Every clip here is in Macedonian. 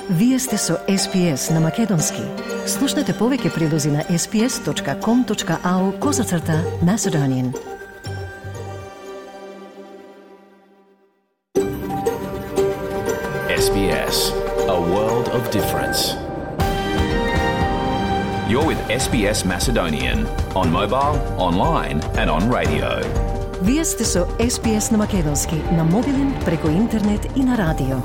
Вие сте со SPS на Македонски. Слушнете повеќе прилози на sps.com.au/Macedonian. SBS, a world of difference. You're with SBS Macedonian on mobile, online and on radio. Вие сте со SPS на Македонски на мобилен, преку интернет и на радио.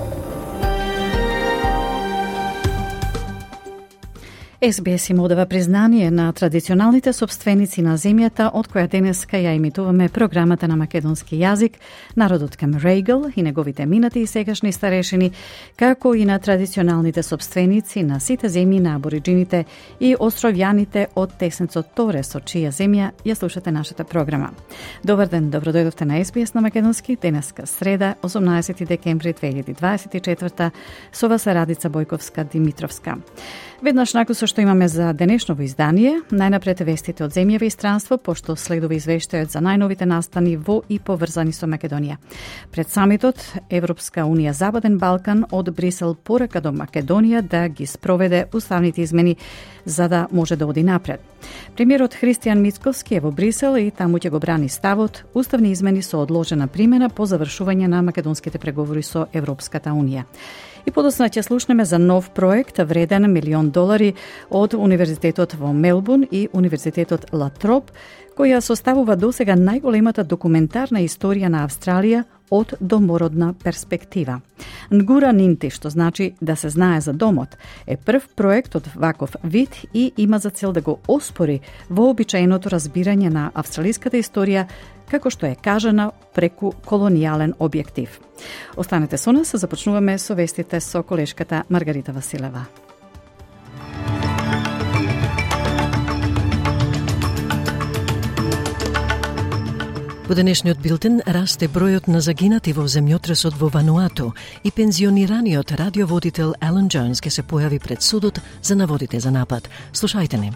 SBS им одава признание на традиционалните собственици на земјата, од која денеска ја имитуваме програмата на македонски јазик, народот Камерейгл и неговите минати и сегашни старешини, како и на традиционалните собственици на сите земји на абориджините и островјаните од теснецот Торе, со чија земја ја слушате нашата програма. Добар ден, добродојдовте на SBS на македонски, денеска среда, 18 декември 2024, со вас е Радица Бојковска-Димитровска. Веднаш након што имаме за денешново издание, најнапред вестите од земјава и странство, пошто следува извештајот за најновите настани во и поврзани со Македонија. Пред самитот, Европска Унија Западен Балкан од Брисел порака до Македонија да ги спроведе уставните измени за да може да оди напред. Премиерот Христијан Мицковски е во Брисел и таму ќе го брани ставот уставни измени со одложена примена по завршување на македонските преговори со Европската Унија. И подоцна ќе слушнеме за нов проект вреден $1 милион од Универзитетот во Мелбурн и Универзитетот Ла Троп, која составува досега најголемата документарна историја на Австралија од домородна перспектива. Нгура Нинти, што значи да се знае за домот, е прв проект од ваков вид и има за цел да го оспори вообичаеното разбирање на австралиската историја како што е кажана преку колонијален објектив. Останете со нас, започнуваме со вестите со колешката Маргарита Василева. Во денешниот билтен расте бројот на загинати во земјотресот во Вануату и пензионираниот радиоводител Алан Джонс ке се појави пред судот за наводите за напад. Слушајте не.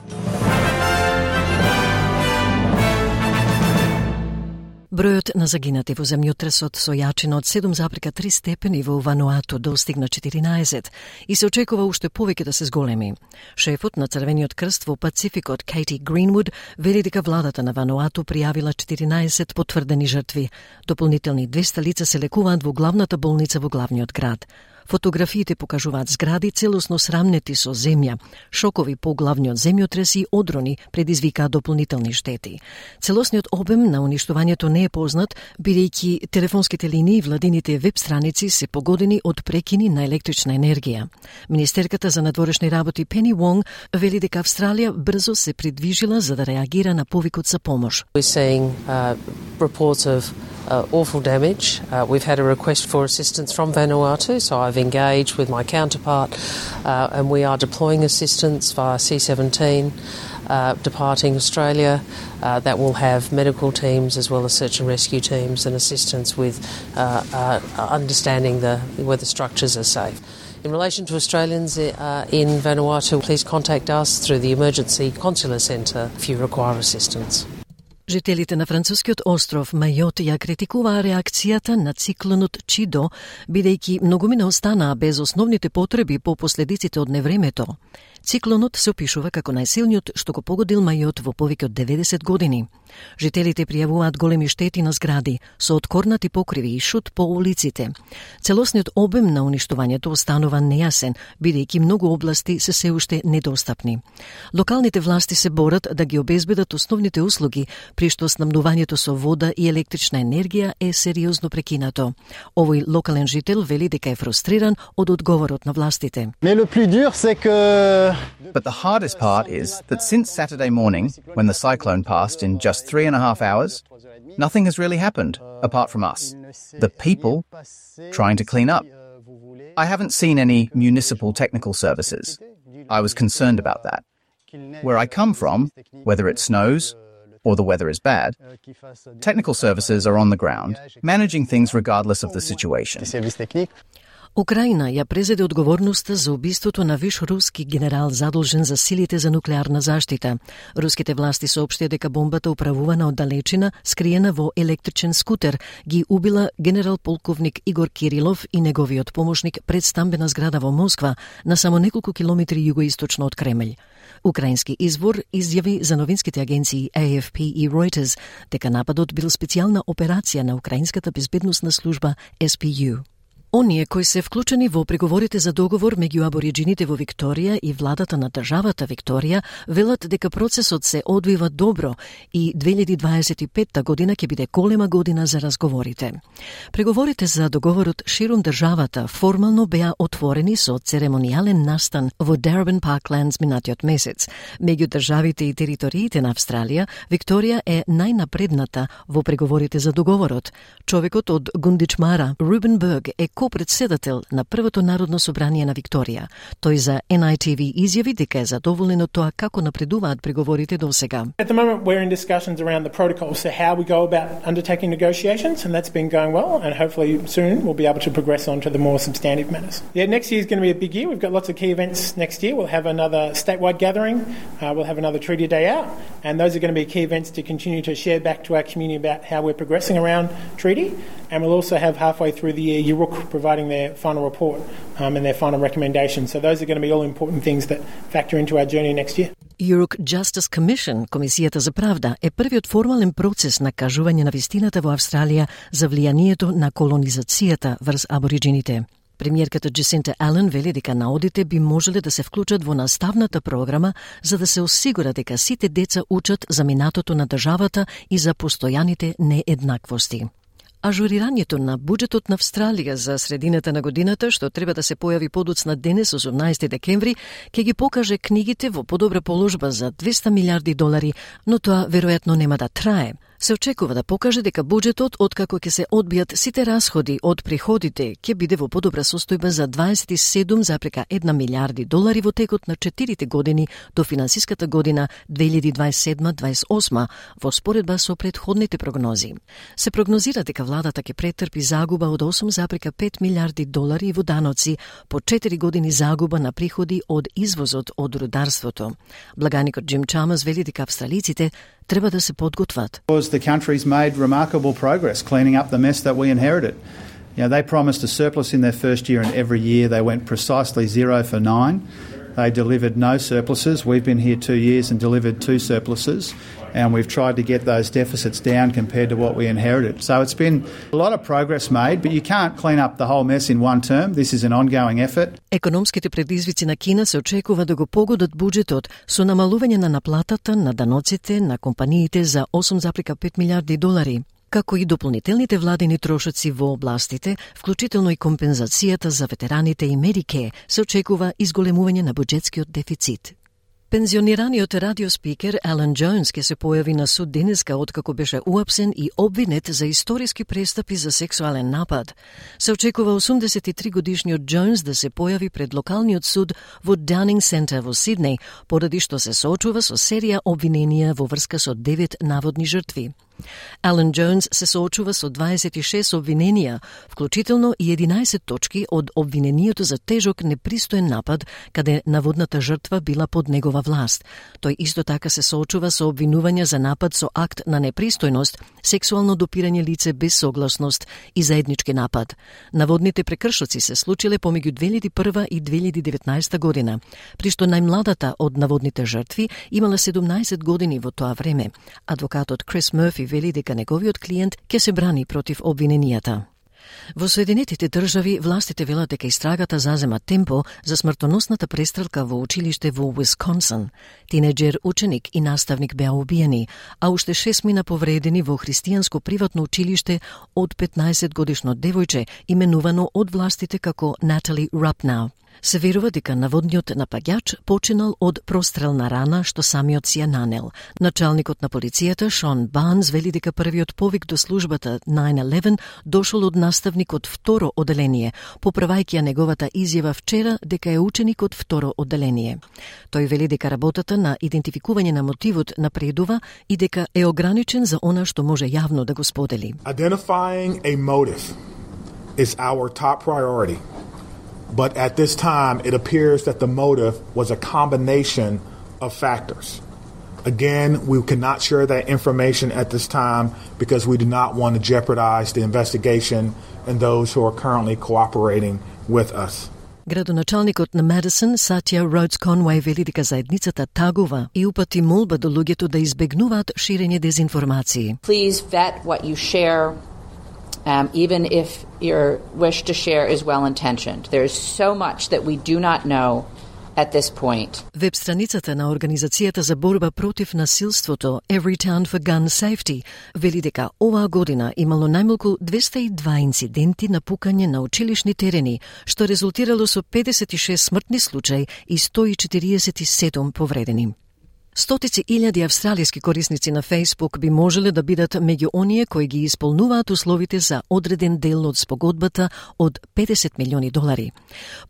Бројот на загинати во земјотресот со јачина од 7,3 степени во Вануату достигна 14 и се очекува уште повеќе да се зголеми. Шефот на Црвениот крст во Пацификот Кейти Гринвуд вели дека владата на Вануату пријавила 14 потврдени жртви. Дополнителни 200 лица се лекуваат во главната болница во главниот град. Фотографиите покажуваат згради целосно срамнети со земја, шокови по главниот земјотрес и одрони предизвикаат дополнителни штети. Целосниот обем на уништувањето не е познат, бидејќи телефонските линии и владините веб страници се погодени од прекини на електрична енергија. Министерката за надворешни работи Пени Вонг вели дека Австралија брзо се придвижила за да реагира на повикот за помош. We're seeing reports of awful damage. We've had a request for assistance from Vanuatu, so I've engaged with my counterpart and we are deploying assistance via C-17 departing Australia that will have medical teams as well as search and rescue teams and assistance with understanding whether structures are safe. In relation to Australians in Vanuatu, please contact us through the Emergency Consular Centre if you require assistance. Жителите на францускиот остров Мајот ја критикуваа реакцијата на циклонот Чидо, бидејќи многумина останаа без основните потреби по последиците од невремето. Циклонот се опишува како најсилниот што го погодил Мајот во повеќе од 90 години. Жителите пријавуваат големи штети на згради, со откорнати покриви и шут по улиците. Целосниот обем на уништувањето останува нејасен, бидејќи многу области се се уште недостапни. Локалните власти се борат да ги обезбедат основните услуги, при што снабдувањето со вода и електрична енергија е сериозно прекинато. Овој локален жител вели дека е фрустриран од одговорот на властите. But the hardest part is that since Saturday morning, when the cyclone passed in just 3.5 hours, nothing has really happened, apart from us, the people, trying to clean up. I haven't seen any municipal technical services. I was concerned about that. Where I come from, whether it snows or the weather is bad, technical services are on the ground, managing things regardless of the situation. Украина ја презеде одговорноста за убиството на виш руски генерал задолжен за силите за нуклеарна заштита. Руските власти соопштија дека бомбата управувана од далечина, скриена во електричен скутер, ги убила генерал полковник Игор Кирилов и неговиот помошник пред стамбена зграда во Москва, на само неколку километри југоисточно од Кремљ. Украински извор изјави за новинските агенции AFP и Reuters дека нападот бил специјална операција на украинската безбедносна служба SPU. Оние кои се вклучени во преговорите за договор меѓу абориджините во Викторија и владата на државата Викторија велат дека процесот се одвива добро и 2025 година ќе биде голема година за разговорите. Преговорите за договорот ширум државата формално беа отворени со церемонијален настан во Darebin Parklands минатиот месец. Меѓу државите и териториите на Австралија, Викторија е најнапредната во преговорите за договорот. Човекот од Гундичмара, Рубен Берг, е председател на првото народно собрание на Викторија. Тој за NITV изјави дека е задоволен од тоа како напредуваат преговорите досега. At the moment we're in discussions around the protocols, so how we go about undertaking negotiations, and that's been going well, and hopefully soon we'll be able to progress on to the more substantive matters. Yeah, next year is going to be a big year. We've got lots of key events next year. We'll have another statewide gathering, we'll have another Treaty Day out, and those are going to be key events to continue to share back to our community about how we're progressing around treaty, and we'll also have halfway through the year Yuruk providing their final report and their final recommendations. So those are going to be all important things that factor into our journey next year. Yuruk Justice Commission, Комисијата за правда, е првиот формален процес на кажување на вистината во Австралија за влијанието на колонизацијата врз абориджините. Премиерката Джесинта Ален вели дека наодите би можеле да се вклучат во наставната програма за да се осигура дека сите деца учат за минатото на државата и за постојаните нееднаквости. Ажурирањето на буџетот на Австралија за средината на годината, што треба да се појави подоцна денес, 18 декември, ќе ги покаже книгите во подобра положба за $200 милиарди, но тоа веројатно нема да трае. Се очекува да покаже дека буџетот, откако ќе се одбијат сите расходи од приходите, ќе биде во подобра состојба за $27,1 милиарди во текот на 4 години до финансиската година 2027-28 во споредба со претходните прогнози. Се прогнозира дека владата ќе претрпи загуба од $8,5 милиарди во даноци по 4 години загуба на приходи од извозот од рударството. Благаникот Джим Чамас вели дека австралиците треба да се подготват. The country's made remarkable progress cleaning up the mess that we inherited. They promised a surplus in their first year, and every year they went precisely 0 for 9. They delivered no surpluses. We've been here 2 years and delivered 2 surpluses, and we've tried to get those deficits down compared to what we inherited. So it's been a lot of progress made, but you can't clean up the whole mess in one term. This is an ongoing effort. Економските предизвици на Кина се очекува да го погодат буџетот со намалување на наплатата на даноците на компаниите за $8,5 милиарди, како и дополнителните владени трошоци во областите, вклучително и компензацијата за ветераните и Медике, се очекува изголемување на буџетскиот дефицит. Пензионираниот радиоспикер Алан Джонс ќе се појави на суд денеска откако беше уапсен и обвинет за историски престапи за сексуален напад. Се очекува 83 годишниот Джонс да се појави пред локалниот суд во Downing Centre во Сиднеј, поради што се соочува со серија обвиненија во врска со 9 наводни жртви. Алан Джонс се соочува со 26 обвиненија, вклучително и 11 точки од обвинението за тежок непристоен напад, каде наводната жртва била под негова власт. Тој исто така се соочува со обвинувања за напад со акт на непристојност, сексуално допирање лице без согласност и заеднички напад. Наводните прекршоци се случиле помеѓу 2001 и 2019 година, при што најмладата од наводните жртви имала 17 години во тоа време. Адвокатот Крис Мерфи вели дека неговиот клиент ќе се брани против обвиненијата. Во Соединетите држави властите велат дека истрагата зазема темпо за смртоносната престрелка во училиште во Уисконсин. Тинеџер ученик и наставник беа убиени, а уште 6 мина повредени во христијанско приватно училиште од 15 годишно девојче, именувано од властите како Натали Рапнау. Се верува дека наводниот напаѓач починал од прострелна рана што самиот си ја нанел. Началникот на полицијата Шон Барнс вели дека првиот повик до службата 911 дошол од наставник од второ оделение, поправајќи ја неговата изјава вчера дека е ученик од второ оделение. Тој вели дека работата на идентификување на мотивот напредува и дека е ограничен за она што може јавно да го сподели. Identifying a motive is our top priority. But at this time, it appears that the motive was a combination of factors. Again, we cannot share that information at this time because we do not want to jeopardize the investigation and those who are currently cooperating with us. Градоначалникот на Медисон, Сатја Роудс Конвеј, вели дека заедницата тагува и упати молба до луѓето да избегнуваат ширење дезинформации. Please vet what you share, even if your wish to share is well-intentioned. There is so much that we do not know at this point. Веб страницата на Организацијата за борба против насилството Everytown for Gun Safety вели дека оваа година имало најмалку 202 инциденти на пукање на училишни терени, што резултирало со 56 смртни случаи и 147 повредени. Стотици илјади австралиски корисници на Facebook би можеле да бидат меѓу оние кои ги исполнуваат условите за одреден дел од спогодбата од $50 милиони.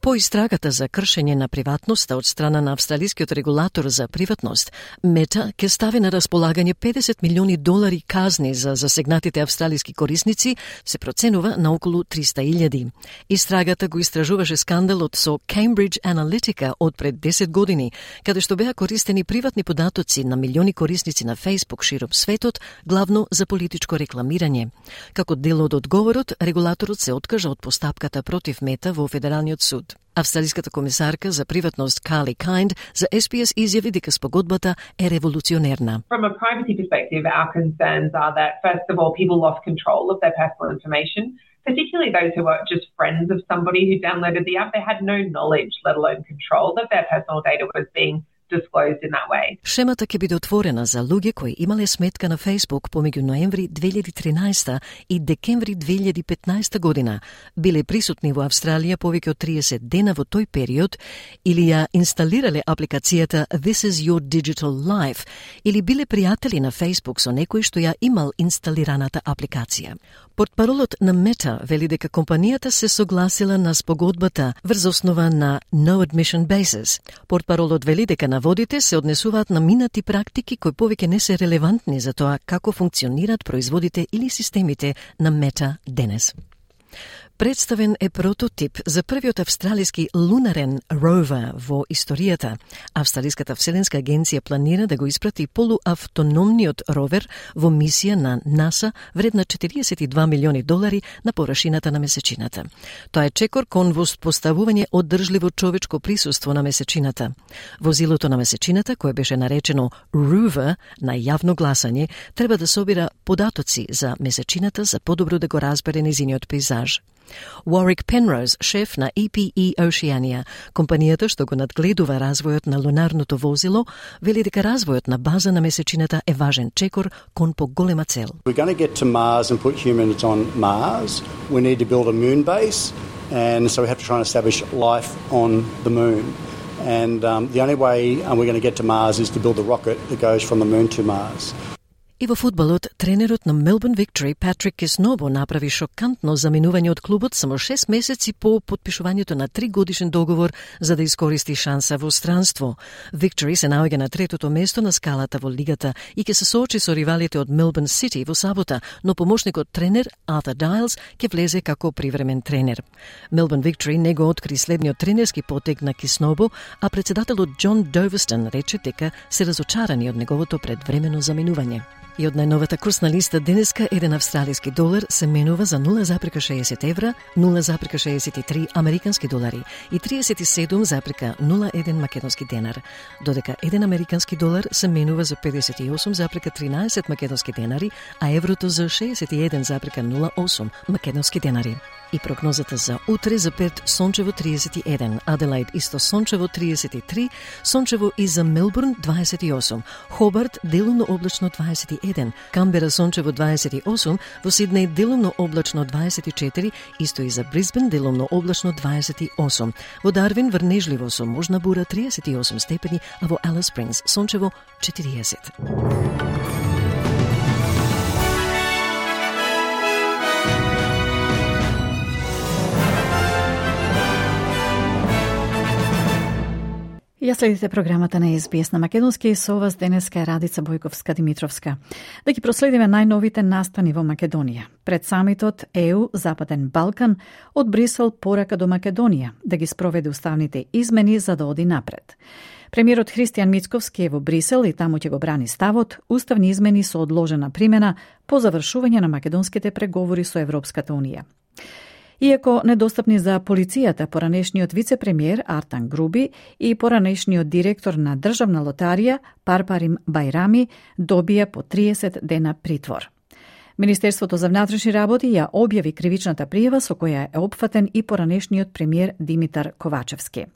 По истрагата за кршење на приватноста од страна на австралискиот регулатор за приватност, Мета ќе стави на располагање $50 милиони казни за засегнатите австралиски корисници, се проценува на околу 300.000. Истрагата го истражуваше скандалот со Cambridge Analytica од пред 10 години, каде што беа користени приватни податоци на милиони корисници на Facebook широм светот, главно за политичко рекламирање. Како дел од одговорот, регулаторот се откажа од постапката против Мета во Федералниот суд. Австралиската комисарка за приватност Carly Kind за SBS изјави дека спогодбата е револуционерна. From a privacy perspective, our concerns are that, first of all, people lost control of their personal information, particularly those who were just friends of somebody who downloaded the app. They had no knowledge, let alone control, that their personal data was being disclosed in that way. Шемата ќе биде отворена за луѓе кои имале сметка на Facebook помеѓу ноември 2013 и декември 2015 година, биле присутни во Австралија повеќе од 30 дена во тој период или ја инсталирале апликацијата This is your digital life или биле пријатели на Facebook со некој што ја имал инсталираната апликација. Портпаролот на Мета вели дека компанијата се согласила на спогодбата врз основа на no admission basis. Портпаролот вели дека наводите се однесуваат на минати практики кои повеќе не се релевантни за тоа како функционираат производите или системите на Мета денес. Представен е прототип за првиот австралиски лунарен ровер во историјата. Австралиската вселенска агенција планира да го испрати полуавтономниот ровер во мисија на НАСА вредна $42 милиони на површината на месечината. Тоа е чекор кон воспоставување одржливо човечко присуство на месечината. Возилото на месечината, кое беше наречено Rover на јавно гласање, треба да собира податоци за месечината за подобро да го разбере нејзиниот пейзаж. Warwick Penrose, шеф на EPE Oceania, компанијата што го надгледува развојот на лунарното возило, вели дека развојот на база на месечината е важен чекор кон поголема цел. We're going to get to Mars and put humans on Mars. We need to build a moon base, and so we have to try and establish life on the moon. And the only way we're going to get to Mars is to build the rocket that goes from the moon to Mars. И во фудбалот, тренерот на Melbourne Victory, Patrick Kisnobo, направи шокантно заминување од клубот само 6 месеци по подпишувањето на 3-годишен договор за да искористи шанса во странство. Victory се наоѓа на 3-то место на скалата во лигата и ќе се соочи со ривалите од Melbourne City во сабота, но помошникот тренер Arthur Dials ќе влезе како привремен тренер. Melbourne Victory не го откри следниот тренерски потег на Kisnobo, а председателот John Doverston рече дека се разочарани од неговото предвремено заминување. И од најновата курсна листа денеска $1 австралиски долар се менува за 0,60 евра, 0,63 американски долари и 37,01 македонски денар, додека 1 американски долар се менува за 58,13 македонски денари, а еврото за 61,08 македонски денари. И прогнозата за утре за Перт сончево 31, Аделаид исто сончево 33, сончево и за Мелбурн 28, Хобарт делумно облачно 21, Камбера сончево 28, во Сиднеј делумно облачно 24, исто и за Брисбен делумно облачно 28, во Дарвин врнежливо со можна бура 38 степени, а во Алис Спрингс сончево 40. Ја следите програмата на СБС на македонски и со вас денеска е Радица Бојковска-Димитровска. Да ги проследиме најновите настани во Македонија. Пред самитот ЕУ Западен Балкан од Брисел порака до Македонија да ги спроведе уставните измени за да оди напред. Премиерот Христијан Мицковски е во Брисел и таму ќе го брани ставот уставни измени со одложена примена по завршување на македонските преговори со Европската Унија. Иако недостапни за полицијата, поранешниот вице-премиер Артан Груби и поранешниот директор на Државна лотарија Парпарим Бајрами добија по 30 дена притвор. Министерството за внатрешни работи ја објави кривичната пријава со која е опфатен и поранешниот премиер Димитар Ковачевски.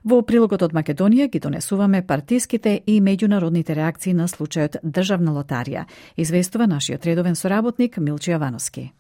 Во прилогот од Македонија ги донесуваме партиските и меѓународните реакции на случајот Државна лотарија, известува нашиот редовен соработник Милче Јавановски.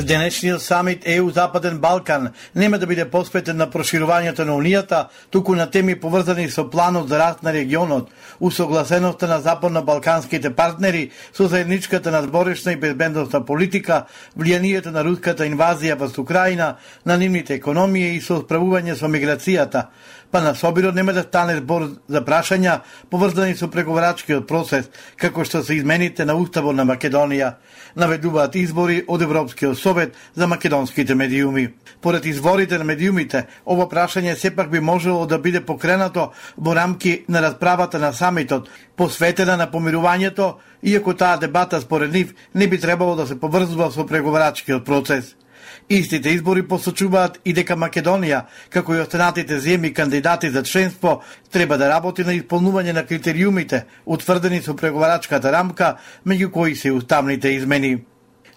Денешниот самит ЕУ Западен Балкан нема да биде посветен на проширувањето на Унијата, туку на теми поврзани со планот за раст на регионот, усогласеноста на западно-балканските партнери со заедничката надворешна и безбедносна политика, влијанието на руската инвазија во Украина, на нивните економија и со справување со миграцијата. Па на собирот нема да стане збор за прашања поврзани со преговарачкиот процес, како што се измените на Уставот на Македонија, наведуваат избори од Европскиот совет за македонските медиуми. Поред изворите на медиумите, ова прашање сепак би можело да биде покренато во рамки на расправата на самитот, посветена на помирувањето, иако таа дебата според нив не би требало да се поврзува со преговарачкиот процес. Истите избори посочуваат и дека Македонија, како и останатите земји кандидати за членство, треба да работи на исполнување на критериумите, утврдени со преговарачката рамка, меѓу кои се уставните измени.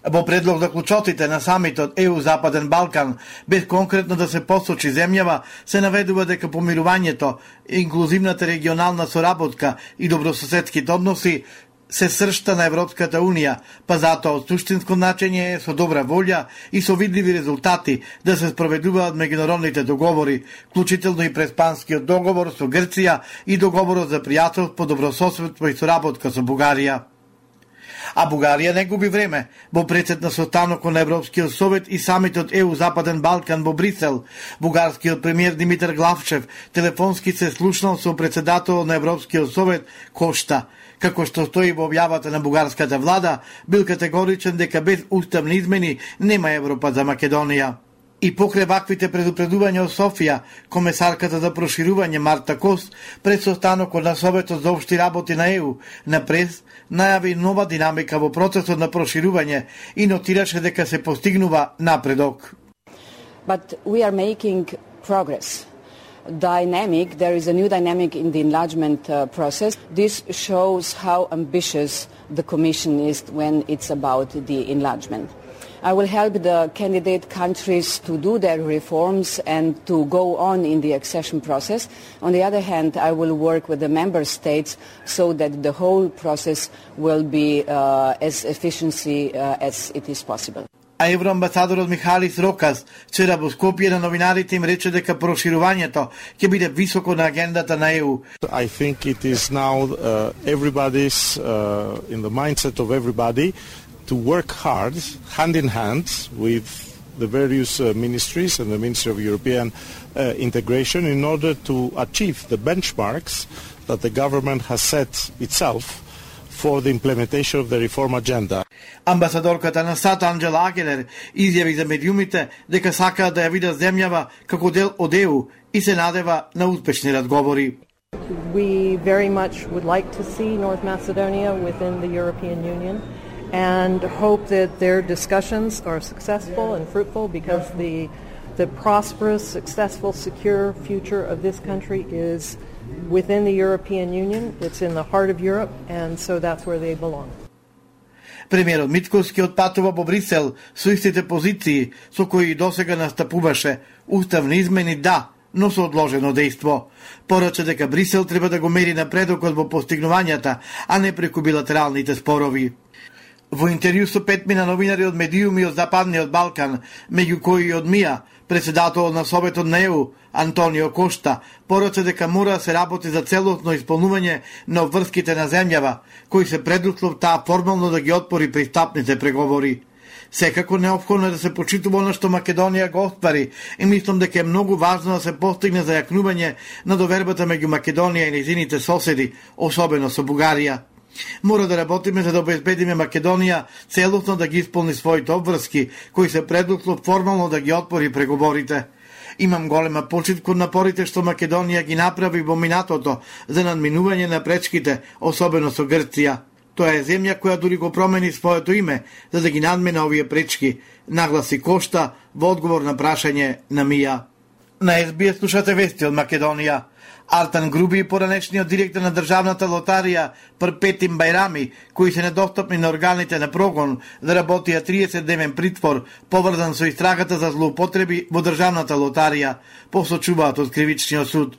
Во предлог за клучоците на самитот ЕУ Западен Балкан, без конкретно да се посочи земјава, се наведува дека помирувањето, инклузивната регионална соработка и добрососедските односи се сршта на Европската Унија, па затоа од суштинско значење е со добра волја и со видливи резултати да се спроведуваат меѓународните договори, вклучително и преспанскиот договор со Грција и договорот за пријателство, добрососедство и соработка со Бугарија. А Бугарија не губи време. Во прецед на состанокот на Европскиот совет и самитот ЕУ Западен Балкан во Брисел, бугарскиот премиер Димитар Главчев телефонски се слушнал со председателот на Европскиот совет Кошта. Како што стои во објавата на бугарската влада, бил категоричен дека без уставни измени нема Европа за Македонија. И покрај ваквите предупредувања од Софија, комесарката за проширување Марта Кос пред состанокот на Советот за општи работи на ЕУ на прес најави нова динамика во процесот на проширување и нотираше дека се постигнува напредок. But we are making progress. There is a new dynamic in the enlargement process. This shows how ambitious the Commission is when it's about the enlargement. I will help the candidate countries to do their reforms and to go on in the accession process. On the other hand, I will work with the member states so that the whole process will be as efficient as it is possible. А евроамбасадорот Михалис Рокас вчера во Скопје на новинарите им рече дека проширувањето ќе биде високо на агендата на ЕУ. I think it is now everybody's in the mindset of everybody to work hard, hand in hand with the various ministries and the Ministry of European Integration in order to achieve the benchmarks that the government has set itself for the implementation of the reform agenda. Амбасадорката на САД Анджела Агелер изјави за медиумите дека сакаат да ја видат земјава како дел од ЕУ и се надева на успешни разговори. We very much would like to see North Macedonia within the European Union and hope that their discussions are successful and fruitful because the prosperous, successful, secure future of this country is within the European Union. It's in the heart of Europe, and so that's where they belong. Премиерот Мицковски отпатува во Брисел со истите позиции со кои досега настапуваше. Уставни измени да, но со одложено дејство. Порача дека Брисел треба да го мери напредокот во постигнувањата, а не преку билатералните спорови. Во интервју со 5 мина новинари од медиуми од Западниот Балкан, меѓу кои и од МИА, председателот на Советот на ЕУ, Антонио Кошта, порача дека мора да се работи за целосно исполнување на обврските на земјава, кои се предуслов таа формално да ги отпори пристапните преговори. Секако неопходно е да се почитува она што Македонија го оствари и мислам дека е многу важно да се постигне зајакнување на довербата меѓу Македонија и нејзините соседи, особено со Бугарија. Мора да работиме за да обезбедиме Македонија целосно да ги исполни своите обврски, кои се предуслов формално да ги отвори преговорите. Имам голема почит кон напорите што Македонија ги направи во минатото за надминување на пречките, особено со Грција. Тоа е земја која дури го промени своето име за да ги надмине овие пречки, нагласи Кошта во одговор на прашање на Мија. На СБС слушате вести од Македонија. Артан Груби, поранешниот директор на Државната лотарија, Перпетим Бајрами, кои се недостапни на органите на прогон, да работија 30-дневен притвор, поврзан со истрагата за злоупотреби во Државната лотарија, посочуваат од Кривичниот суд.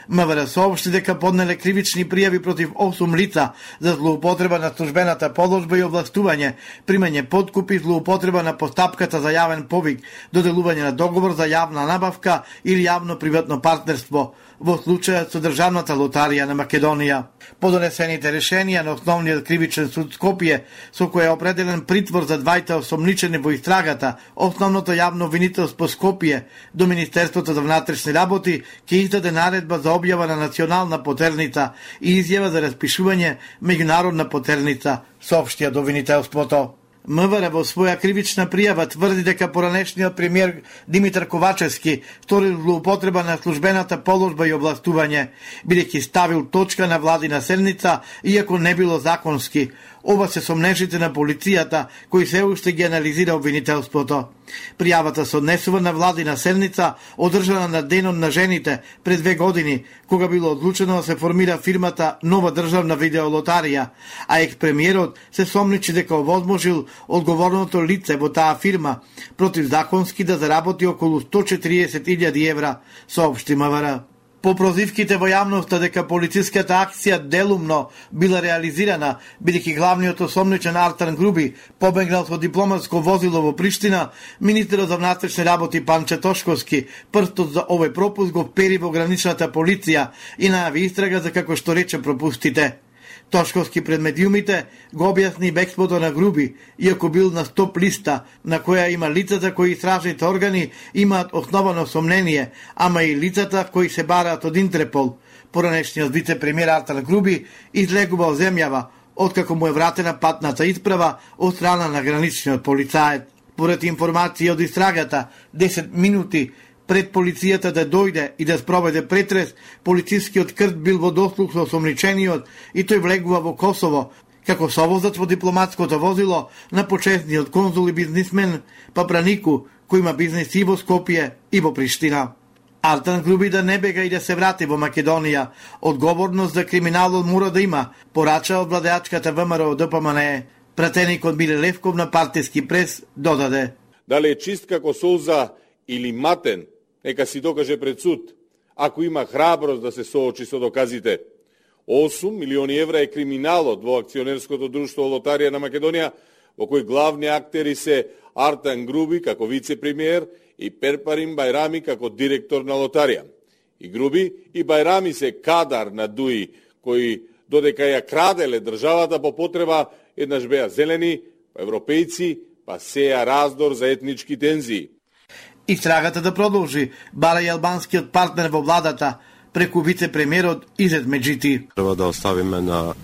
МВР соопшти дека поднеле кривични пријави против 8 лица за злоупотреба на службената положба и овластување, примање подкупи, злоупотреба на постапката за јавен повик, доделување на договор за јавна набавка или јавно-приватно партнерство во случајот со Државната лотарија на Македонија. По донесените решенија на Основниот кривичен суд Скопје, со кој е определен притвор за двајта осомничени во истрагата, Основното јавно обвинителство Скопје до Министерството за внатрешни работи ќе издаде наредба за објава на национална потерница и изјава за распишување меѓународна потерница, соопштија до обвинителството. МВР во своја кривична пријава тврди дека поранешниот премиер Димитар Ковачевски сторил злоупотреба на службената положба и областување, бидејќи ставил точка на владина седница, иако не било законски. Ова се сомнежите на полицијата, кои се уште ги анализира обвинителството. Пријавата се однесува на владина седница, одржана на денот на жените пред 2 години, кога било одлучено да се формира фирмата Нова државна видеолотарија, а екс-премиерот се сомничи дека овозможил одговорното лице во таа фирма противзаконски да заработи околу 140.000 евра, соопшти МВР. По прозивките во јавноста дека полициската акција делумно била реализирана, бидејќи главниот осомничен Артан Груби побегнал со дипломатско возило во Приштина, министерот за внатрешни работи Панче Тошковски прстот за овој пропуск го пери во граничната полиција и најави истрага за како што рече пропустите. Тошковски пред медиумите го објасни бегството на Груби, иако бил на стоп листа, на која има лицата кои истражните органи имаат основано сомнение, ама и лицата кои се бараат од Интерпол. Поранешниот вице-премиер Артан Груби излегува од земјава, откако му е вратена патната исправа од страна на граничниот полицаец. Поред информации од истрагата, 10 минути пред полицијата да дојде и да спроведе претрес, полицискиот крт бил во дослух со осомничениот и тој влегува во Косово, како совозач во дипломатското возило на почесниот конзул и бизнисмен Папранику, кој има бизнис и во Скопје и во Приштина. Артан Груби да не бега и да се врати во Македонија. Одговорност за криминалот мора да има, порача од владеачката ВМРО ДПМНЕ. Пратеникот Миле Левков на партиски прес додаде: дали е чист како солза или матен, нека си докаже пред суд, ако има храброст да се соочи со доказите. 8 милиони евра е криминалот во акционерското друштво Лотарија на Македонија, во кој главни актери се Артан Груби како вице-премиер и Перпарим Бајрами како директор на Лотарија. И Груби и Бајрами се кадар на ДУИ, кои додека ја краделе државата по потреба, еднаш беа зелени, европејци, па сеја раздор за етнички тензии. Истрагата да продолжи, бара и албанскиот партнер во владата, преку вице-премиерот Изет Меджити. Треба да оставиме на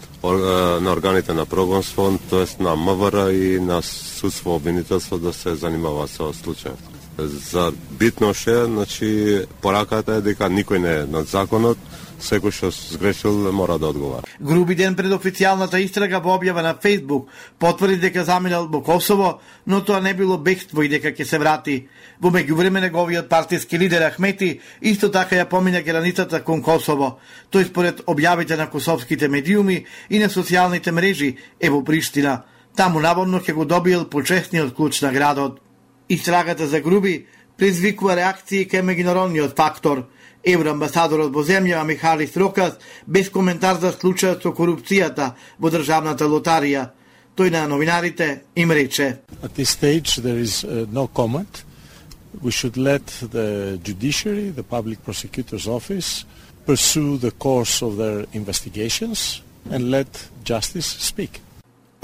органите на прогонство, тоест на МВР и на судство обвинителство да се занимава со случајот. За битно ше, значи, пораката е дека никој не е над законот, секој што сгрешил мора да одговара. Груби ден пред официјалната истрага во објава на Фејсбук потврди дека заминал во Косово, но тоа не било бегство и дека ќе се врати. Во меѓувреме неговиот партиски лидер Ахмети исто така ја помина границата кон Косово. Тој според објавите на косовските медиуми и на социјалните мрежи е во Приштина. Таму наводно ќе го добиел почесниот клуч на градот. Истрагата за Груби предизвикува реакции кај меѓународниот фактор. Евроамбасадорот во земјава Михалис Рокас без коментар за случајот со корупцијата во Државната лотарија. Тој на новинарите им рече: At this stage there is no comment. We should let the judiciary, the public prosecutor's office, pursue the course of their investigations and let justice speak.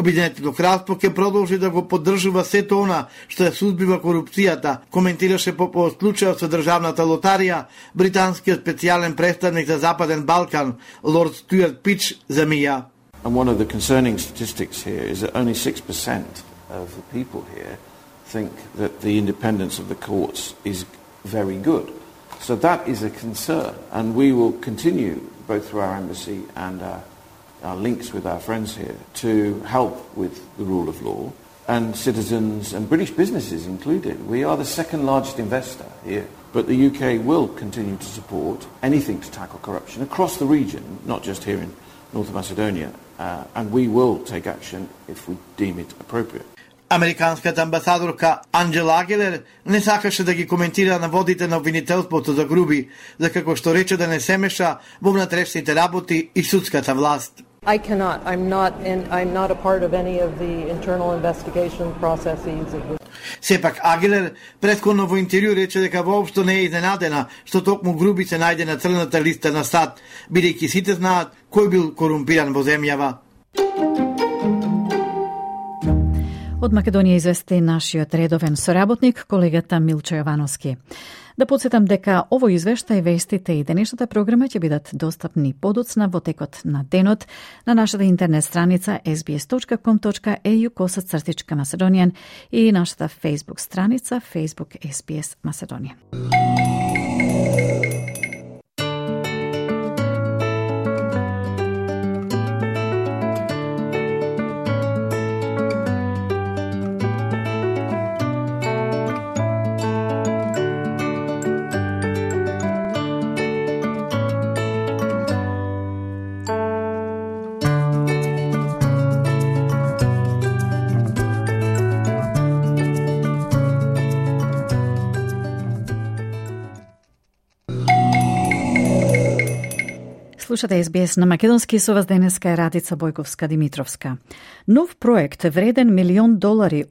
Обединетото кралство ќе продолжи да го поддржува сето она што ја сузбива корупцијата, коментираше по случајот со државната лотарија британскиот специјален представник за Западен Балкан, Лорд Стюарт Пич за МИА. And one of the concerning statistics here is that only 6% of the people here think that the independence of the courts is very good. So that is a concern, and we will continue, both through our embassy and our links with our friends here, to help with the rule of law, and citizens and British businesses included. We are the second largest investor here, but the UK will continue to support anything to tackle corruption across the region, not just here in North Macedonia, and we will take action if we deem it appropriate. Американската амбасадорка Анджела Агелер не сакаше да ги коментира наводите на обвинителството за груби, за како што рече да не се меша во внатрешните работи и судската власт. I cannot. I'm not a part of any of the internal investigation processes of the... Сепак Агелер претходно во интервју рече дека воопшто не е изненадена што токму груби се најде на црната листа на САД, бидејќи сите знаат кој бил корумпиран во земјава. Од Македонија извести нашиот редовен соработник, колегата Милчо Јовановски. Да подсетам дека овој извештај, вестите и денешната програма ќе бидат достапни подоцна во текот на денот на нашата интернет страница sbs.com.au/Macedonian и нашата Facebook страница Facebook SBS Macedonian. Слушате SBS на македонски, со вас денеска е Радица Бојковска-Димитровска. Нов проект вреден $1 милион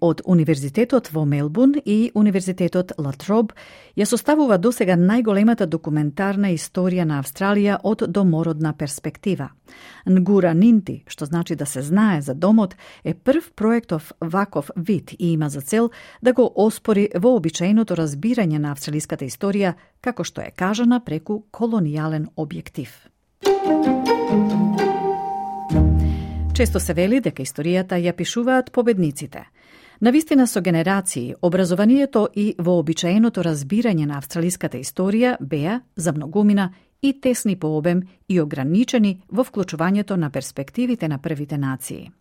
од Универзитетот во Мелбурн и Универзитетот Ла Троб ја составува досега најголемата документарна историја на Австралија од домородна перспектива. Нгура Нинти, што значи да се знае за домот, е прв проектов ваков вид и има за цел да го оспори вообичаеното разбирање на австралиската историја, како што е кажана преку колонијален објектив. Често се вели дека историјата ја пишуваат победниците. Навистина со генерации, образованието и вообичаеното разбирање на австралиската историја беа за многумина и тесни по обем и ограничени во вклучувањето на перспективите на првите нации.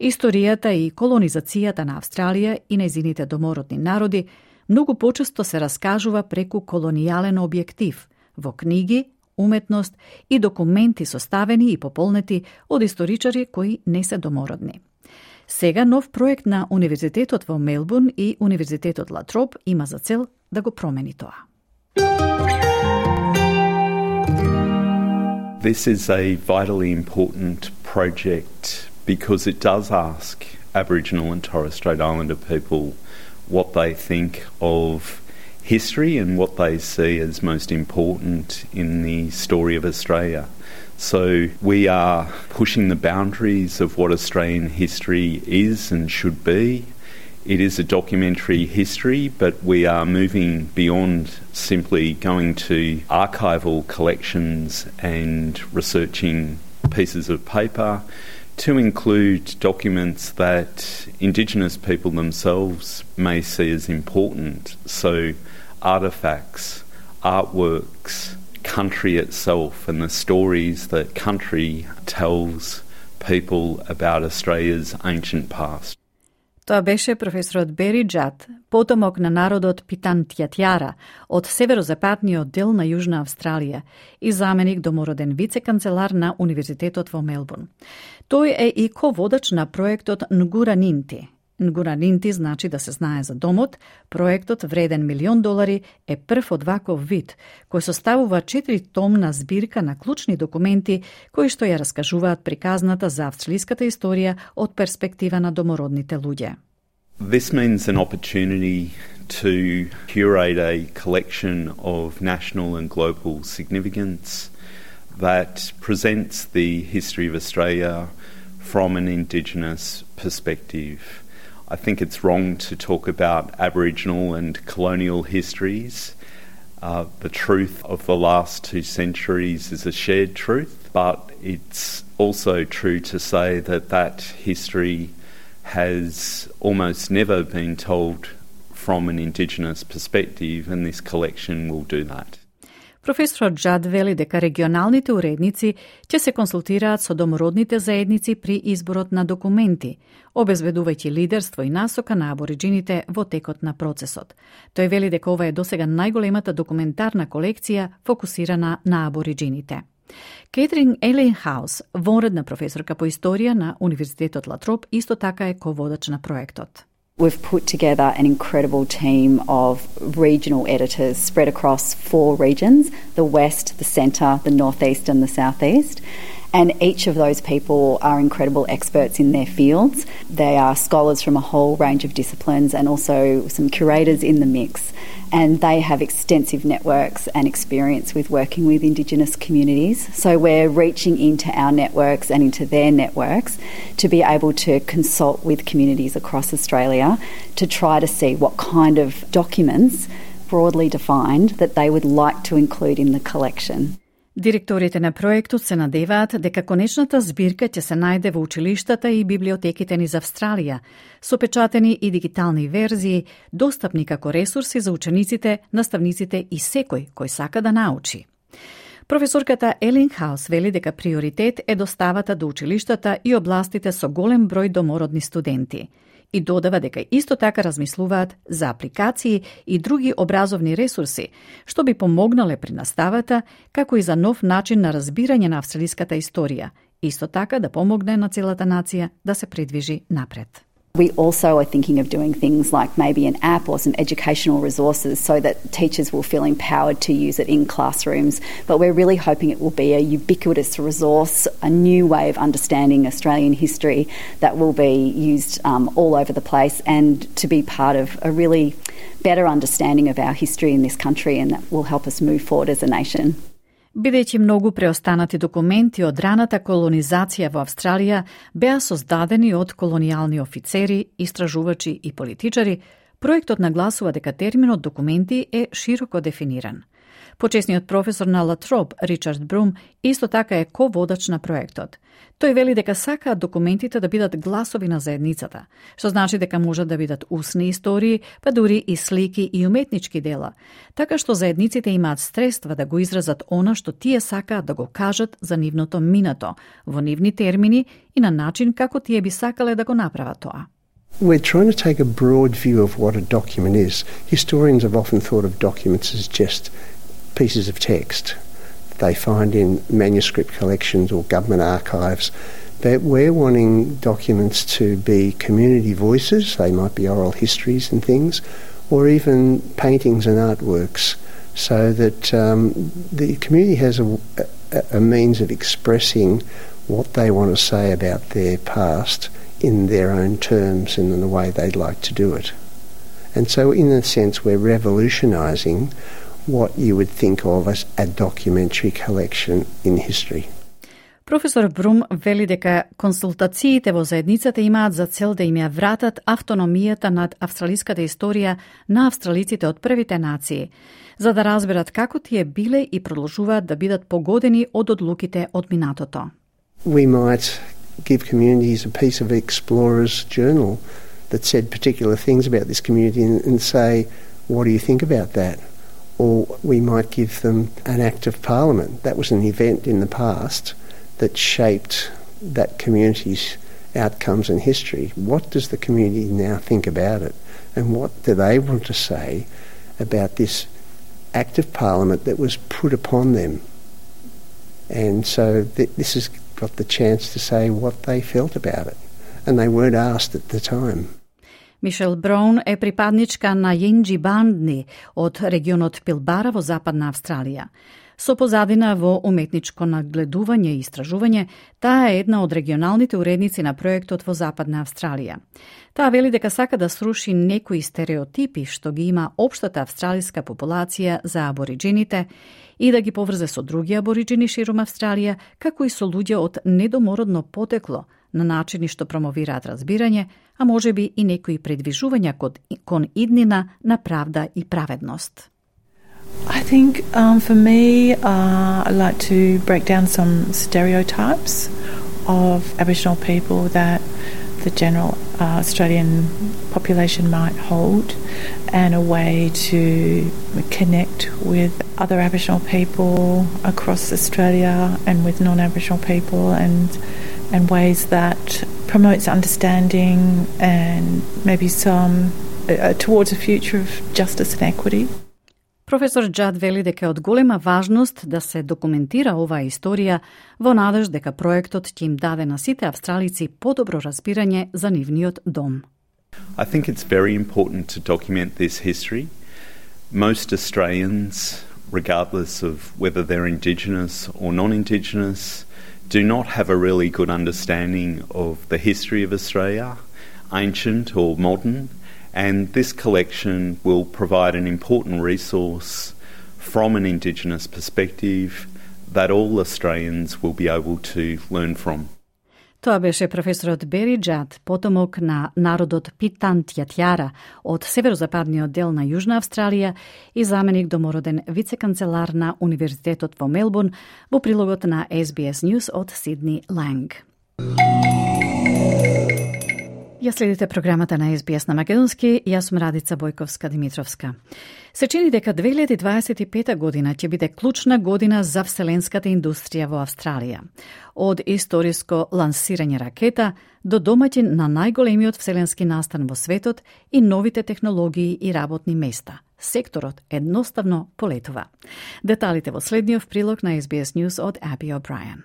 Историјата и колонизацијата на Австралија и нејзините домородни народи многу почесто се раскажува преку колонијален објектив во книги, уметност и документи составени и пополнети од историчари кои не се домородни. Сега нов проект на Универзитетот во Мелбурн и Универзитетот Ла Троб има за цел да го промени тоа. This is a vitally important project because it does ask Aboriginal and Torres Strait Islander people what they think of history and what they see as most important in the story of Australia. So we are pushing the boundaries of what Australian history is and should be. It is a documentary history, but we are moving beyond simply going to archival collections and researching pieces of paper to include documents that Indigenous people themselves may see as important. So artefacts, artworks, country itself and the stories that country tells people about Australia's ancient past. Тоа беше професорот Бери Джад, потомок на народот Питантјатјара од северозападниот дел на Јужна Австралија и заменик домороден вице-канцелар на Универзитетот во Мелбурн. Тој е и ководач на проектот Нгура Нинти. Нгура Нинти значи да се знае за домот. Проектот вреден $1 милион е прв од ваков вид, кој составува 4-томна збирка на клучни документи кои што ја раскажуваат приказната за австралиската историја од перспектива на домородните луѓе. This means an opportunity to curate a collection of national and global significance that presents the history of Australia from an Indigenous perspective. I think it's wrong to talk about Aboriginal and colonial histories. The truth of the last 2 centuries is a shared truth, but it's also true to say that that history has almost never been told from an Indigenous perspective, and this collection will do that. Професорот Джад вели дека регионалните уредници ќе се консултираат со домородните заедници при изборот на документи, обезбедувајќи лидерство и насока на абориджините во текот на процесот. Тој вели дека ова е досега најголемата документарна колекција фокусирана на абориджините. Кетрин Елейнхаус, вонредна професорка по историја на Универзитетот Латроп, исто така е ководач на проектот. We've put together an incredible team of regional editors spread across 4 regions, the West, the Centre, the Northeast and the Southeast. And each of those people are incredible experts in their fields. They are scholars from a whole range of disciplines and also some curators in the mix. And they have extensive networks and experience with working with Indigenous communities. So we're reaching into our networks and into their networks to be able to consult with communities across Australia to try to see what kind of documents, broadly defined, that they would like to include in the collection. Директорите на проектот се надеваат дека конечната збирка ќе се најде во училиштата и библиотеките низ Австралија, со печатени и дигитални верзии, достапни како ресурси за учениците, наставниците и секој кој сака да научи. Професорката Елейнхаус вели дека приоритет е доставата до училиштата и областите со голем број домородни студенти. И додава дека исто така размислуваат за апликации и други образовни ресурси, што би помогнале при наставата, како и за нов начин на разбирање на австралиската историја, исто така да помогне на целата нација да се придвижи напред. We also are thinking of doing things like maybe an app or some educational resources so that teachers will feel empowered to use it in classrooms. But we're really hoping it will be a ubiquitous resource, a new way of understanding Australian history that will be used all over the place and to be part of a really better understanding of our history in this country, and that will help us move forward as a nation. Бидејќи многу преостанати документи од раната колонизација во Австралија беа создадени од колонијални офицери, истражувачи и политичари, проектот нагласува дека терминот документи е широко дефиниран. Почесниот професор на Латроп, Ричард Брум, исто така е ководач на проектот. Тој вели дека сакаат документите да бидат гласови на заедницата, што значи дека можат да бидат усни истории, па дури и слики и уметнички дела, така што заедниците имаат средства да го изразат она што тие сакаат да го кажат за нивното минато, во нивни термини и на начин како тие би сакале да го направат тоа. We're trying to take a broad view of what a document is. Historians have often thought of documents as just pieces of text they find in manuscript collections or government archives. But we're wanting documents to be community voices. They might be oral histories and things, or even paintings and artworks, so that the community has a means of expressing what they want to say about their past in their own terms and in the way they'd like to do it. And so in a sense we're revolutionising what you would think of as a documentary collection in history. Професор Брум вели дека консултациите во заедницата имаат за цел да им ја вратат автономијата над австралиската историја на австралиците од првите нации, за да разберат како тие биле и продолжуваат да бидат погодени од одлуките од минатото. We might give communities a piece of explorer's journal that said particular things about this community and say, what do you think about that? Or we might give them an act of parliament. That was an event in the past that shaped that community's outcomes and history. What does the community now think about it? And what do they want to say about this act of parliament that was put upon them? And so this has got the chance to say what they felt about it. And they weren't asked at the time. Мишел Браун е припадничка на Јинџибандни од регионот Пилбара во Западна Австралија. Со позадина во уметничко нагледување и истражување, таа е една од регионалните уредници на проектот во Западна Австралија. Таа вели дека сака да сруши некои стереотипи што ги има општата австралиска популација за абориджините и да ги поврзе со други абориджини ширум Австралија, како и со луѓе од недомородно потекло, на начини што промовираат разбирање, а можеби и некои предвижувања кон иднина на правда и праведност. I think for me, I like to break down some stereotypes of Aboriginal people that the general Australian population might hold, and a way to connect with other Aboriginal people across Australia and with non-Aboriginal people, and ways that promotes understanding and maybe some towards a future of justice and equity. Професор Джад вели дека е од голема важност да се документира оваа историја во надеж дека проектот ќе им даде на сите австралици подобро разбирање за нивниот дом. I think it's very important to document this history. Most Australians, regardless of whether they're Indigenous or non-Indigenous, do not have a really good understanding of the history of Australia, ancient or modern. And this collection will provide an important resource from an Indigenous perspective that all Australians will be able to learn from. Тоа беше професорот Бери Джад, потомок на народот Питантјатјара од северозападниот дел на Јужна Австралија и заменик домороден вице-канцелар на Универзитетот во Мелбурн, во прилогот на SBS News од Сидни Ланг. Ја следите програмата на SBS на македонски, јас сум Радица Бојковска-Димитровска. Се чини дека 2025 година ќе биде клучна година за вселенската индустрија во Австралија. Од историско лансирање ракета до домаќин на најголемиот вселенски настан во светот и новите технологии и работни места. Секторот едноставно полетува. Деталите во следниот прилог на SBS News од Абби О'Брајан.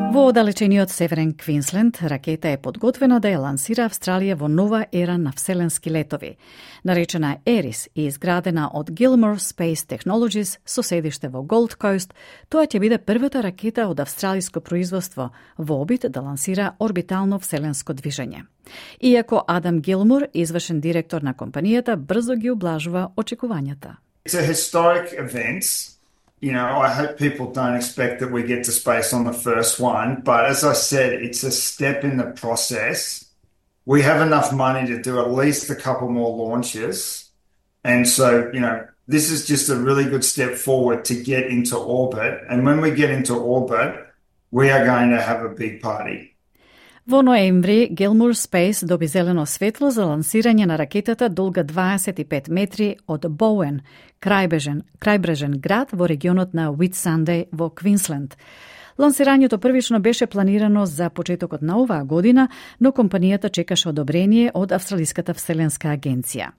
Во оддалечениот северен Квинсленд, ракета е подготвена да ја лансира Австралија во нова ера на вселенски летови. Наречена Ерис и изградена од Gilmore Space Technologies со седиште во Голд Коуст, тоа ќе биде првата ракета од австралиско производство во обид да лансира орбитално вселенско движење. Иако Адам Гилмор, извршен директор на компанијата, брзо ги ублажува очекувањата. It's a historic event. You know, I hope people don't expect that we get to space on the first one, but as I said, it's a step in the process. We have enough money to do at least a couple more launches. And so, you know, this is just a really good step forward to get into orbit. And when we get into orbit, we are going to have a big party. Во ноември, Gilmore Space доби зелено светло за лансирање на ракетата долга 25 метри од Боуен, крајбрежен град во регионот на Уитсандеј во Квинсленд. Лансирањето првично беше планирано за почетокот на оваа година, но компанијата чекаше одобрение од Австралиската вселенска агенција.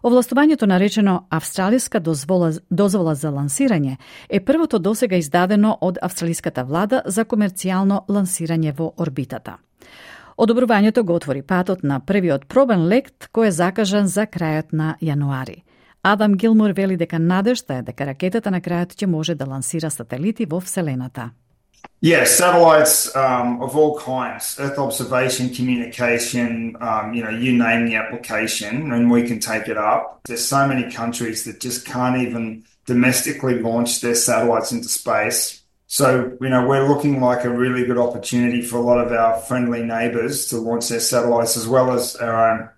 Овластувањето наречено Австралиска дозвола за лансирање е првото досега издадено од австралиската влада за комерцијално лансирање во орбитата. Одобрувањето го отвори патот на првиот пробен лет кој е закажан за крајот на јануари. Адам Гилмор вели дека надежта е дека ракетата на крајот ќе може да лансира сателити во Вселената. Yeah, satellites of all kinds, Earth observation, communication, you name the application, and we can take it up. There's so many countries that just can't even domestically launch their satellites into space. So, we're looking like a really good opportunity for a lot of our friendly neighbours to launch their satellites as well as our own.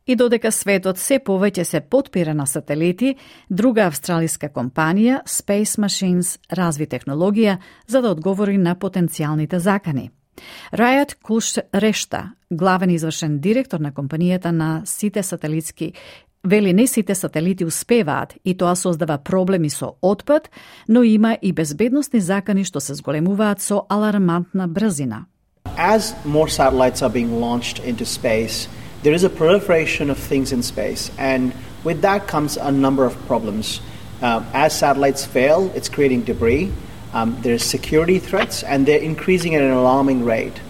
И додека светот се повеќе се потпира на сателити, друга австралиска компанија, Space Machines, разви технологија за да одговори на потенцијалните закани. Рајат Кулш-Решта, главен извршен директор на компанијата на сите сателитски, вели не сите сателити успеваат и тоа создава проблеми со отпад, но има и безбедносни закани што се зголемуваат со алармантна брзина. As more satellites are being launched into space, there is a proliferation of things in space, and with that comes a number of problems. As satellites fail, it's creating debris. There's security threats, and they're increasing at an alarming rate.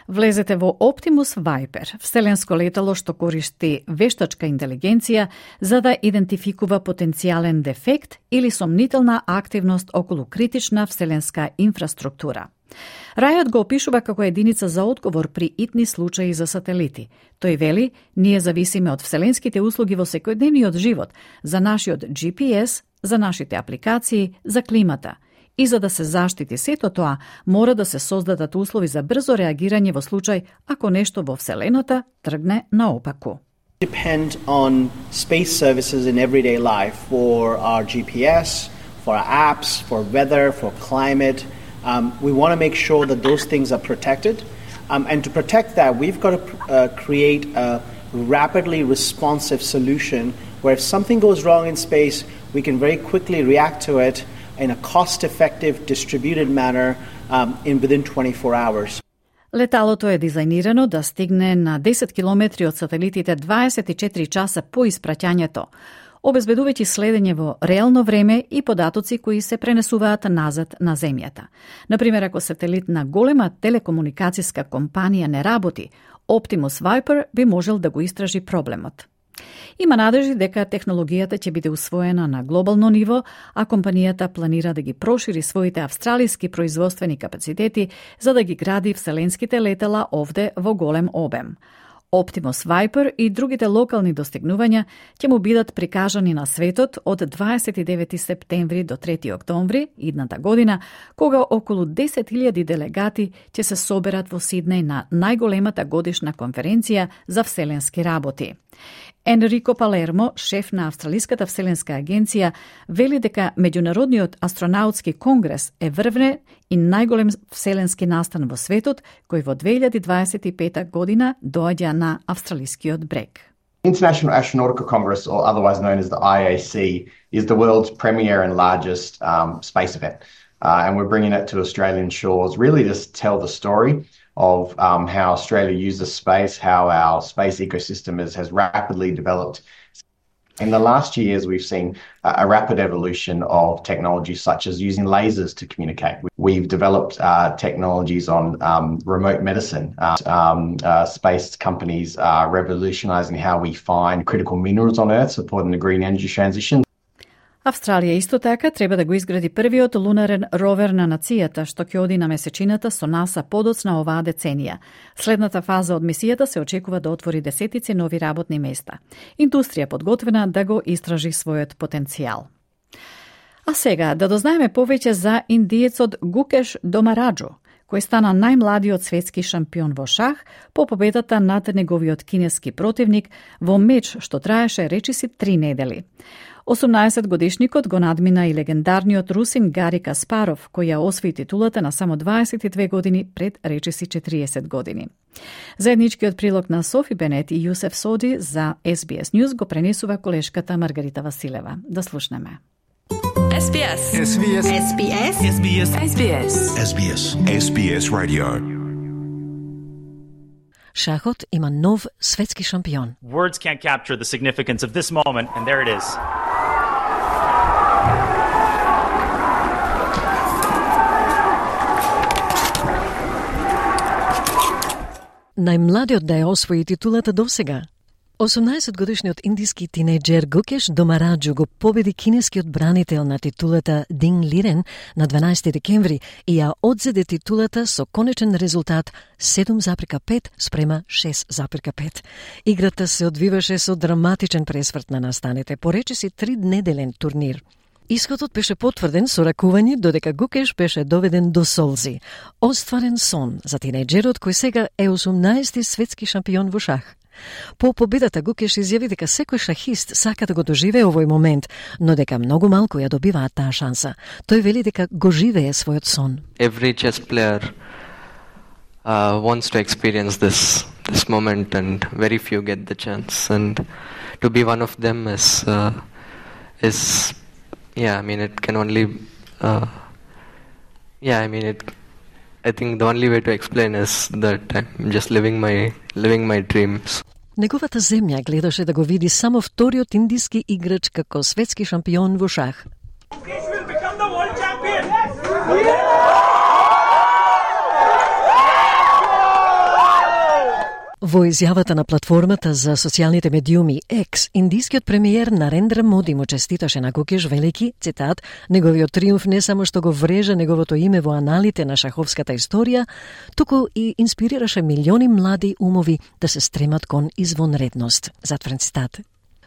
Влезете во Optimus Viper, вселенско летало што користи вештачка интелигенција за да идентификува потенцијален дефект или сомнителна активност околу критична вселенска инфраструктура. Рајот го опишува како единица за одговор при итни случаи за сателити. Тој вели, ние зависиме од вселенските услуги во секојдневниот живот, за нашиот GPS, за нашите апликации, за климата. И за да се заштити сето тоа, мора да се создадат услови за брзо реагирање во случај ако нешто во Вселената тргне наопаку. Depend on space services in everyday life for our GPS, for our apps, for weather, for climate. We want to make sure that those things are protected. And to protect that, we've got to create a rapidly responsive solution where if something goes wrong in space, we can very quickly react to it in a cost-effective, distributed manner within 24 hours. Леталото е дизајнирано да стигне на 10 километри од сателитите 24 часа по испраќањето, обезбедувајќи следење во реално време и податоци кои се пренесуваат назад на земјата. Например, ако сателит на голема телекомуникацијска компанија не работи, Optimus Viper би можел да го истражи проблемот. Има надежди дека технологијата ќе биде усвоена на глобално ниво, а компанијата планира да ги прошири своите австралиски производствени капацитети за да ги гради вселенските летала овде во голем обем. Optimus Viper и другите локални достигнувања ќе му бидат прикажани на светот од 29 септември до 3 октомври идната година, кога околу 10.000 делегати ќе се соберат во Сиднеј на најголемата годишна конференција за вселенски работи. Енрико Палермо, шеф на Австралиската вселенска агенција, вели дека Меѓународниот астронаутски конгрес е врвне и најголем вселенски настан во светот, кој во 2025 година доаѓа на австралискиот брег. International Astronautical Congress, or otherwise known as the IAC, is the world's premier and largest space event. And we're bringing it to Australian shores really to tell the story of how Australia uses space, how our space ecosystem has rapidly developed. In the last years, we've seen a rapid evolution of technologies such as using lasers to communicate. We've developed technologies on remote medicine. Space companies are revolutionizing how we find critical minerals on Earth, supporting the green energy transition. Австралија исто така треба да го изгради првиот лунарен ровер на нацијата, што ќе оди на месечината со НАСА подоцна оваа деценија. Следната фаза од мисијата се очекува да отвори десетици нови работни места. Индустрија подготвена да го истражи својот потенцијал. А сега да дознаеме повеќе за индиецот Гукеш Домараджу, кој стана најмладиот светски шампион во шах по победата над неговиот кинески противник во меч што траеше речиси 3 недели. 18-годишникот го надмина и легендарниот русин Гари Каспаров, кој ја освои титулата на само 22 години пред речиси 40 години. Заедничкиот прилог на Софи Бенет и Јусеф Соди за SBS News го пренесува колешката Маргарита Василева. Да слушнеме. SBS. SBS. SBS. SBS. SBS. SBS. SBS Radio. Шахот има нов светски шампион. Words can't capture the significance of this moment, and there it is. Најмладиот да ја освои титулата досега. 18-годишниот индиски тинејџер Гукеш Домараджу го победи кинескиот бранител на титулата Дин Лирен на 12 декември и ја одзеде титулата со конечен резултат 7,5 спрема 6,5. Играта се одвиваше со драматичен пресврт на настаните, по речиси 3-неделен турнир. Исходот беше потврден со ракување додека Гукеш беше доведен до солзи. Остварен сон за тинејџерот кој сега е 18-ти светски шампион во шах. По победата Гукеш изјави дека секој шахист сака да го доживее овој момент, но дека многу малку ја добиваат таа шанса. Тој вели дека го живее својот сон. Every chess player wants to experience this moment, and very few get the chance. And to be one of them is yeah, I mean, it can only yeah, I mean, I think the only way to explain is that I'm just living my dreams. Неговата земја гледаше да го види само вториот индиски играч како светски шампион во шах. Во изјавата на платформата за социјалните медиуми X, индискиот премиер Нарендра Моди му честиташе на Гукеш велики, цитат, неговиот триумф не само што го врежа неговото име во аналите на шаховската историја, туку и инспирираше милиони млади умови да се стремат кон извонредност. Затворен цитат.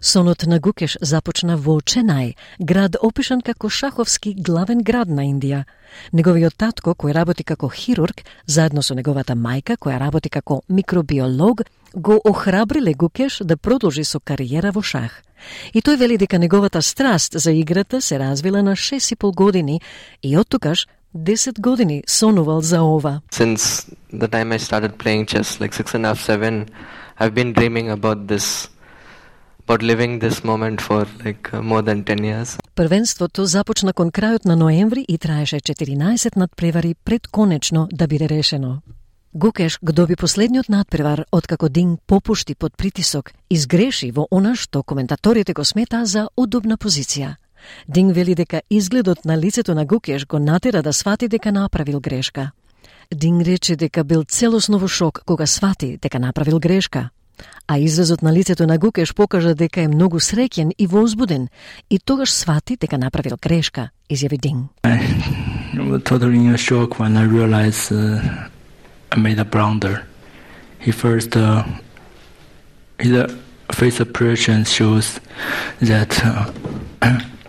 Сонот на Гукеш започна во Ченај, град опишан како шаховски главен град на Индија. Неговиот татко, кој работи како хирург, заедно со неговата мајка, која работи како микробиолог, го охрабриле Гукеш да продолжи со кариера во шах. И тој вели дека неговата страст за играта се развила на 6,5 години и од тогаш 10 години сонувал за ова. Since the time I started playing chess, like 6.5, 7, I've been dreaming about living this moment for like more than 10 years. Првенството започна кон крајот на ноември и траеше 14 надпревари пред конечно да биде решено. Гукеш го доби последниот надпревар откако Динг попушти под притисок и сгреши во она што коментаторите го смета за удобна позиција. Динг вели дека изгледот на лицето на Гукеш го натера да свати дека направил грешка. Динг рече дека бил целосно во шок кога свати дека направил грешка. А изразот на лицето на Гукеш покажа дека е многу среќен и возбуден и тогаш свати дека направил грешка, изјави Динг. I was totally in a shock when I realized I made a blunder. His face expression shows that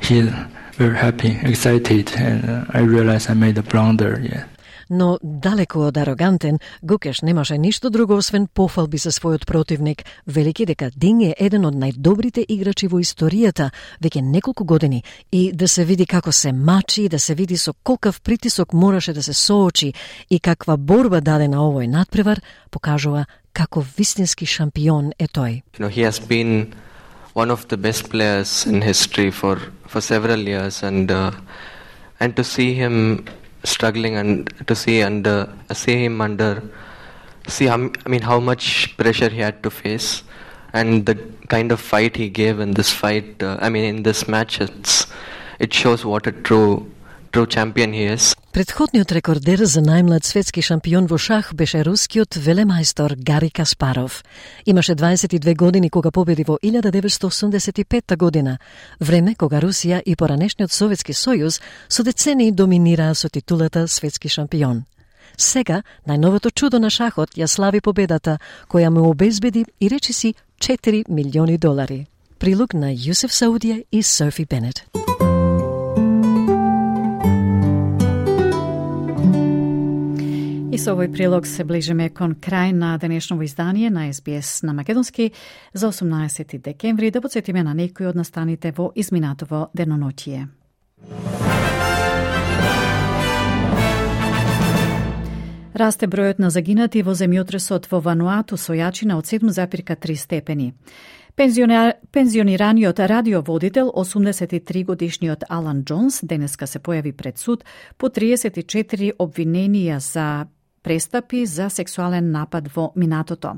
he's very happy, excited, and I realized I made a blunder. Yeah. Но далеку од арогантен, Гукеш немаше ништо друго освен пофалби за својот противник, велики дека Динг е еден од најдобрите играчи во историјата веќе неколку години и да се види како се мачи, да се види со колкав притисок мораше да се соочи и каква борба даде на овој надпревар, покажува како вистински шампион е тој. He has been one of the best players in history for several years, and to see him struggling and to see how much pressure he had to face and the kind of fight he gave in this fight, in this match, it shows what a true champion he is. Претходниот рекордер за најмлад светски шампион во шах беше рускиот велемајстор Гари Каспаров. Имаше 22 години кога победи во 1985 година, време кога Русија и поранешниот Советски сојуз со децении доминираа со титулата светски шампион. Сега, најновото чудо на шахот ја слави победата, која му обезбеди и речиси $4 милиони. Прилог на Јусеф Саудија и Софи Бенет. И со овој прилог се ближиме кон крај на денешново издание на SBS на македонски за 18 декември. Да подсетиме на некои од настаните во изминатово деноноќие. Расте бројот на загинати во земјотресот во Вануату со јачина од 7,3 степени. Пензионираниот радиоводител, 83-годишниот Алан Джонс, денеска се појави пред суд по 34 обвиненија за престапи за сексуален напад во минатото.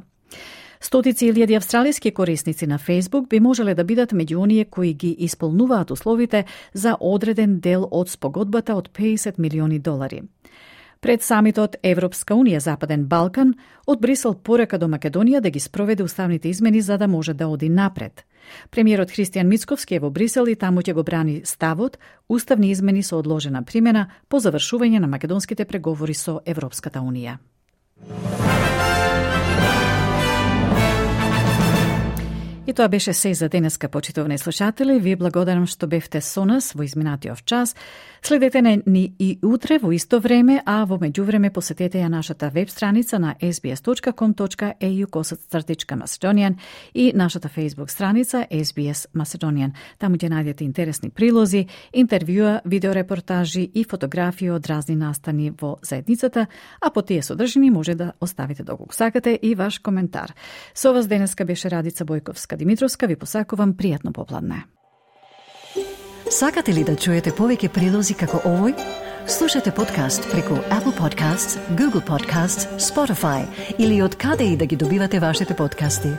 Стотици илјади австралиски корисници на Facebook би можеле да бидат меѓу оние кои ги исполнуваат условите за одреден дел од спогодбата од $50 милиони. Пред самитот Европска Унија Западен Балкан, од Брисел порека до Македонија да ги спроведе уставните измени за да може да оди напред. Премиерот Христијан Мицковски е во Брисел и таму ќе го брани ставот уставни измени со одложена примена по завршување на македонските преговори со Европската Унија. И тоа беше се за денеска, почитувани слушатели. Ви благодарам што бевте со нас во изминатиот час. Следете ни и утре во исто време, а во меѓувреме посетете ја нашата веб страница на sbs.com.au/Macedonian и нашата Facebook страница SBS Macedonian. Таму ќе најдете интересни прилози, интервјуа, видеорепортажи и фотографии од разни настани во заедницата, а по тие содржини може да оставите доколку сакате и ваш коментар. Со вас денеска беше Радица Бојковска Димитровска, ви посакувам пријатно попладне. Сакате ли да чуете повеќе прилози како овој? Слушате подкаст преку Apple Podcasts, Google Podcasts, Spotify или од каде и да ги добивате вашите подкасти.